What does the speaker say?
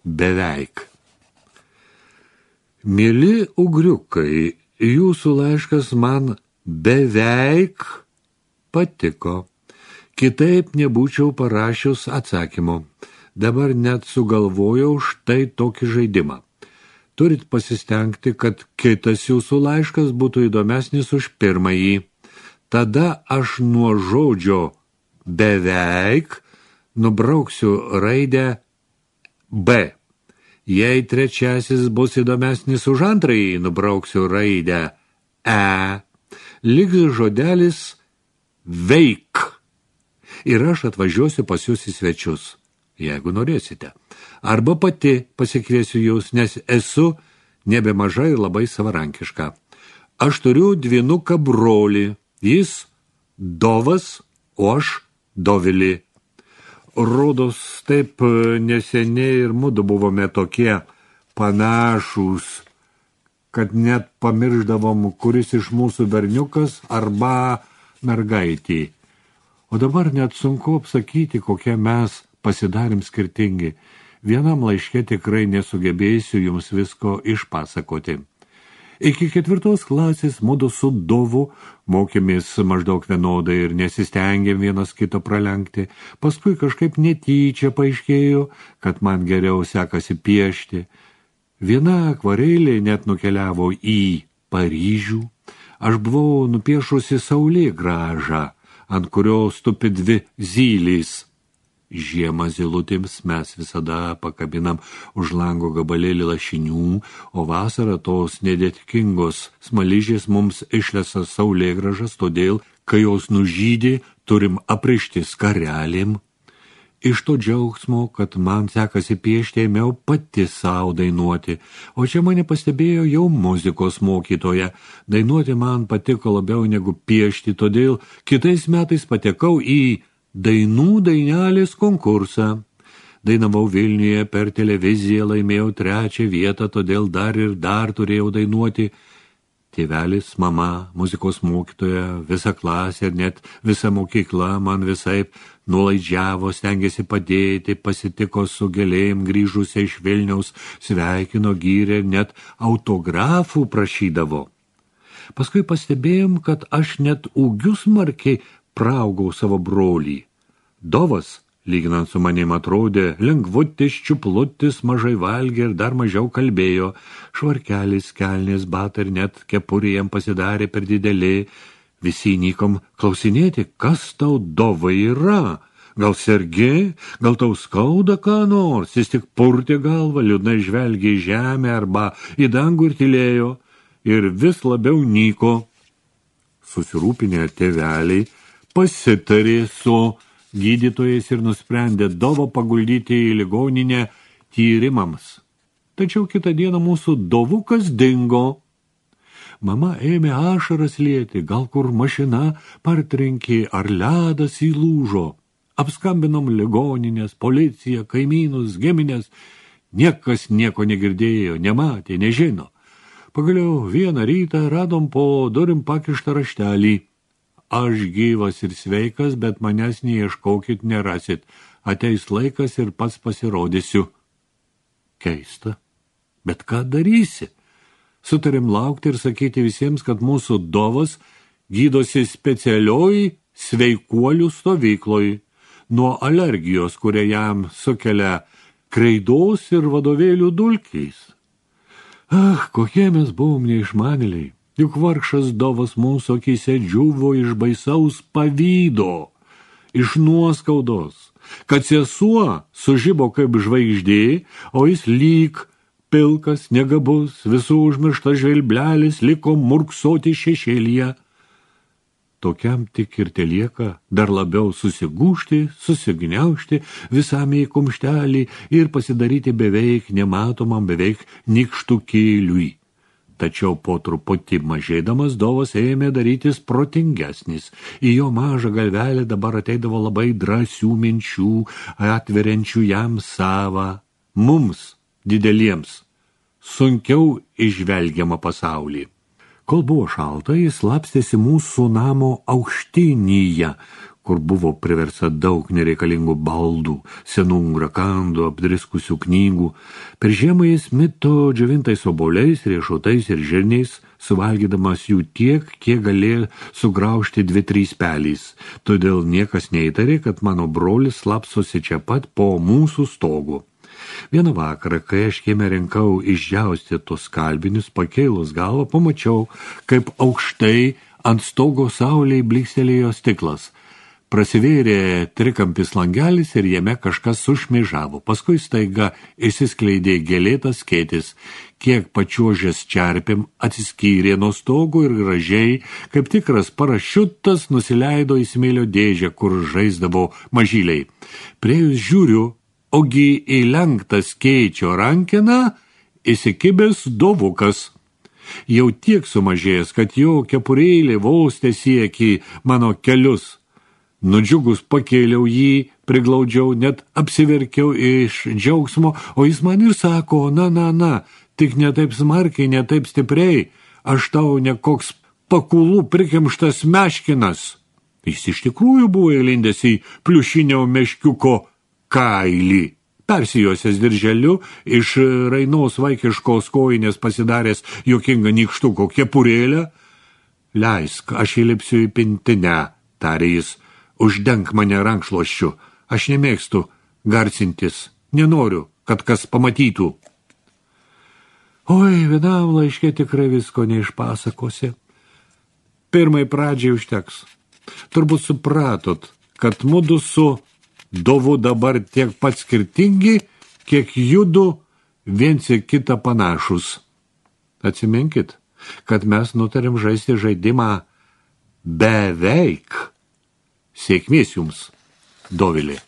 beveik. Mėly ugriukai, jūsų laiškas man beveik patiko. Kitaip nebūčiau parašius atsakymo. Dabar net sugalvojau štai tokį žaidimą. Turit pasistengti, kad kitas jūsų laiškas būtų įdomesnis už pirmąjį. Tada aš nuo žodžio beveik nubrauksiu raidę B. Jei trečiasis bus įdomesnis už antrąjį, nubrauksiu raidę E. Liks žodelis veik. Ir aš atvažiuosiu pas jūs į svečius, jeigu norėsite. Arba pati pasikviesiu jūs, nes esu nebemažai ir labai savarankiška. Aš turiu dvynuką brolį. Jis Dovas, o aš Dovilį. Rodos taip neseniai ir mudu buvome tokie panašūs, kad net pamiršdavom, kuris iš mūsų berniukas arba mergaitė. O dabar net sunku apsakyti, kokie mes pasidarėm skirtingi. Vienam laiške tikrai nesugebėsiu jums visko išpasakoti. Iki 4 klasės mudu su Dovu mokėmės maždaug vienodai ir nesistengėm vienas kito pralenkti. Paskui kažkaip netyčia paaiškėjo, kad man geriau sekasi piešti. Viena akvarelė net nukeliavo į Paryžių. Aš buvau nupiešusi saulėgrąžą, ant kurios tupi 2 zylės. Žiemą zylutėms mes visada pakabinam už lango gabalėlį lašinių, o vasarą tos nedėtikingos smaližės mums išlesa saulėgrąžas, todėl, kai jos nužydė, turim aprišti skarelėm. Iš to džiaugsmo, kad man sekasi piešti, ėmiau pati savo dainuoti, o čia mane pastebėjo jau muzikos mokytoja. Dainuoti man patiko labiau negu piešti, todėl kitais metais patekau į dainų dainelės konkursą. Dainavau Vilniuje per televiziją, laimėjau 3 vietą, todėl dar ir dar turėjau dainuoti. Tėvelis, mama, muzikos mokytoja, visa klasė ir net visa mokykla man visaip nuolaidžiavo, stengėsi padėti, pasitiko su gėlėm grįžusiai iš Vilniaus, sveikino, gyrė, net autografų prašydavo. Paskui pastebėjom, kad aš net ūgiu smarkiai praaugau savo brolį. Dovas, lyginant su manim, atrodė lengvutis, čiuplutis, mažai valgė ir dar mažiau kalbėjo. Švarkelis, kelnės, batai ir net kepurė jam pasidarė per didelė. Visi nykom klausinėti, kas tau, Dovai, yra? Gal sergi? Gal tau skauda ką nors? Jis tik purtė galvą, liūdnai žvelgė į žemę arba į dangų ir tylėjo. Ir vis labiau nyko. Susirūpinę tėveliai pasitarė su gydytojais ir nusprendė Dovą paguldyti į ligoninę tyrimams. Tačiau kitą dieną mūsų Dovukas dingo. Mama ėmė ašaras lieti, gal kur mašina partrenkė ar ledas įlūžo. Apskambinom ligoninės, policiją, kaimynus, giminės. Niekas nieko negirdėjo, nematė, nežino. Pagaliau vieną rytą radom po durim pakištą raštelį. Aš gyvas ir sveikas, bet manęs neieškokit, nerasit. Ateis laikas ir pats pasirodysiu. Keista. Bet ką darysi? Sutarėm laukti ir sakyti visiems, kad mūsų Dovas gydosi specialioj sveikuolių stovykloj nuo alergijos, kurią jam sukelia kreidos ir vadovėlių dulkiais. Kokie mes buvom neišmanėliai. Juk vargšas Dovas mūsų akyse džiuvo iš baisaus pavydo, iš nuoskaudos, kad sesuo sužibo kaip žvaigždė, o jis lyg pilkas, negabus, visų užmirštas žvelblelis liko murksoti šešėlyje. Tokiam tik ir telieka dar labiau susigūžti, susigniaužti visam į kumštelį ir pasidaryti beveik nematomam, beveik nykštukėliui. Tačiau po truputį mažėdamas Dovas ėmė darytis protingesnis. Į jo mažą galvelę dabar ateidavo labai drąsių minčių, atveriančių jam savą, mums, dideliems, sunkiau išvelgiamą pasaulį. Kol buvo šalta, jis slapstėsi mūsų namo aukštinyje, kur buvo priversta daug nereikalingų baldų, senų rakandų, apdriskusių knygų. Per žiemą jis mito džiovintais obuoliais, riešutais ir žirniais, suvalgydamas jų tiek, kiek galėjo sugraužti 2-3 pelys. Todėl niekas neįtarė, kad mano brolis slapsosi čia pat po mūsų stogu. Vieną vakarą, kai aš kieme rinkau išdžiausti tos skalbinius, pakėlus galvą, pamačiau, kaip aukštai ant stogo saulėj blykstelėjo stiklas. Prasivėrė trikampis langelis ir jame kažkas sušmėžavo. Paskui staiga išsiskleidė gėlėtas skėtis, kiek pačiuožęs čerpėm atsiskyrė nuo stogo ir gražiai, kaip tikras parašiutas, nusileido į smėlio dėžę, kur žaisdavo mažyliai. Priejus žiūriu, ogi įlenktą skėčio rankeną įsikibęs dovukas. Jau tiek sumažėjęs, kad jo kepurėlė vos tesiekė mano kelius. Nudžiugus pakėliau jį, priglaudžiau, net apsiverkiau iš džiaugsmo, o jis man ir sako, na, tik ne taip smarkiai, ne taip stipriai, aš tau ne koks pakulų prikimštas meškinas. Jis iš tikrųjų buvo įlindęs į pliušinio meškiuko kailį. Persijosias dirželiu, iš rainos vaikiškos kojinės pasidaręs juokingą nykštuko kepurėlę. Leisk, aš įlipsiu į pintinę, tarė jis. Uždenk mane rankšluosčiu, aš nemėgstu garsintis, nenoriu, kad kas pamatytų. Oi, vienam laiške tikrai visko neišpasakosi. Pirmai pradžiai užteks. Turbūt supratot, kad mudu su Dovu dabar tiek pat skirtingi, kiek judu viens į kitą panašus. Atsiminkit, kad mes nutarėm žaisti žaidimą beveik. Sėkmės jums, Dovilė.